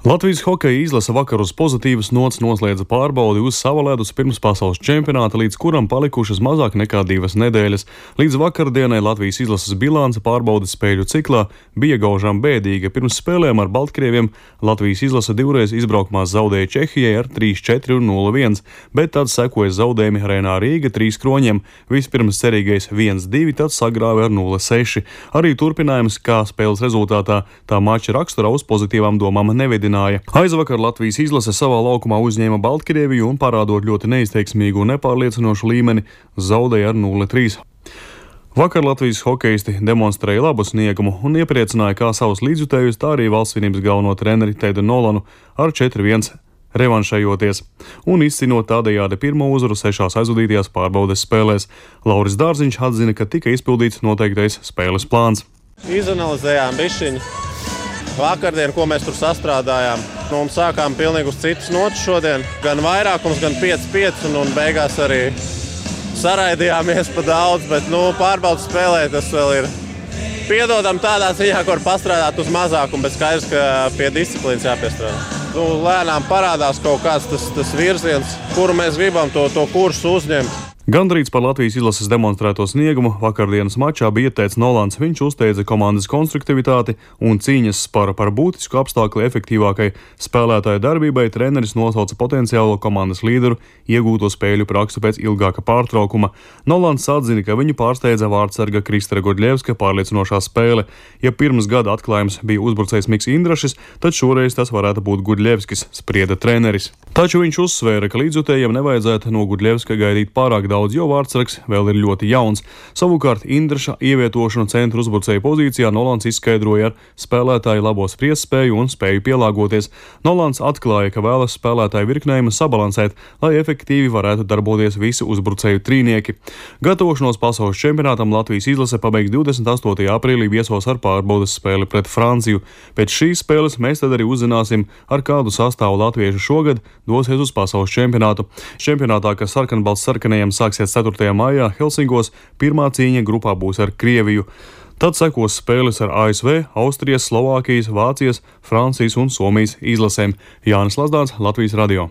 Latvijas hokeja izlase vakar uz pozitīvas nots noslēdza pārbaudi uz sava ledus pirms pasaules čempionāta, līdz kuram palikušas mazāk nekā 2 nedēļas. Līdz vakardienai Latvijas izlases bilance pārbaudes spēļu ciklā bija gaužām bēdīga. Pirms spēlēm ar Baltkrieviem Latvijas izlase divreiz izbraukumā zaudēja Čehijai ar 3-4 un 0-1, bet tad sekoja zaudējumi Arēnā Rīga 3 kroņiem. Vispirms cerīgais 1-2, tad sagrāva ar 0-6. Arī turpinājums, kā spēles rezultātā tā mača raksturā uz pozitīvām domām nevedināja. Aizvakar Latvijas izlase savā laukumā uzņēma Baltkrieviju un, parādot ļoti neizteiksmīgu un nepārliecinošu līmeni, zaudēja ar 0-3. Vakar Latvijas hokeisti demonstrēja labu sniegumu un iepriecināja kā savus līdzjutējus, tā arī valstsvienības galveno treneri Teidu Nolanu ar 4-1 revanšējoties un izcinot tādējādi pirmo uzvaru 6 aizvadītajās pārbaudes spēlēs. Lauris Dārziņš atzina, ka tika izpildīts noteiktais spēles plāns. Izanalizējām bišķiņu vakardien, ko mēs tur sastrādājām. Un sākām pilnīgi uz citas notas šodien. Gan vairākums, gan 5-5, un beigās arī saraidījāmies pa daudz, bet pārbaudas spēlē tas vēl ir piedodam tādā ziņā, kur pastrādāt uz mazākumu, bet skaidrs, ka pie disciplīnas jāpiestrādā. Lēnām parādās kaut kāds tas virziens, kuru mēs gribam to kursu uzņemt. Gandrīz par Latvijas izlases demonstrēto sniegumu vakardienas mačā bija teicis Nolans. Viņš uzteica komandas konstruktivitāti un cīņas par būtisku apstākļu efektīvākai spēlētāju darbībai. Treneris nosauca potenciālo komandas līderu iegūto spēļu praksu pēc ilgāka pārtraukuma. Nolans atzina, ka viņu pārsteidza vārdsarga Kristera Gudļevska pārliecinošā spēle. Ja pirms gada atklājums bija uzbrucējs Miks Indrašis, tad šoreiz tas varētu būt Gudļevskis, sprieda treneris. Taču viņš uzsvēra, ka līdzjutējiem nevajadzētu no Gudļevska gaidīt pārāk daudz, jo vārdsargs vēl ir ļoti jauns. Savukārt Indraša ievietošanu centra uzbrucēju pozīcijā Nolans izskaidroja ar spēlētāju labo spriestspēju un spēju pielāgoties. Nolans atklāja, ka vēlas spēlētāju virknējumu sabalansēt, lai efektīvi varētu darboties visi uzbrucēju trīnieki. Gatavošanos pasaules čempionātam Latvijas izlase pabeigs 28. aprīlī viesos ar pārbaudes spēli pret Franciju. Pēc šīs spēles mēs tad arī uzzināsim, ar kādu sastāvu latvieši šogad dosies uz pasaules čempionātu. Čempionātā, kas sarkanbalts sarkanajiem sāksies 4. maijā Helsinkos, pirmā cīņa grupā būs ar Krieviju. Tad sekos spēles ar ASV, Austrijas, Slovākijas, Vācijas, Francijas un Somijas izlasēm. Jānis Lazdāns, Latvijas radio.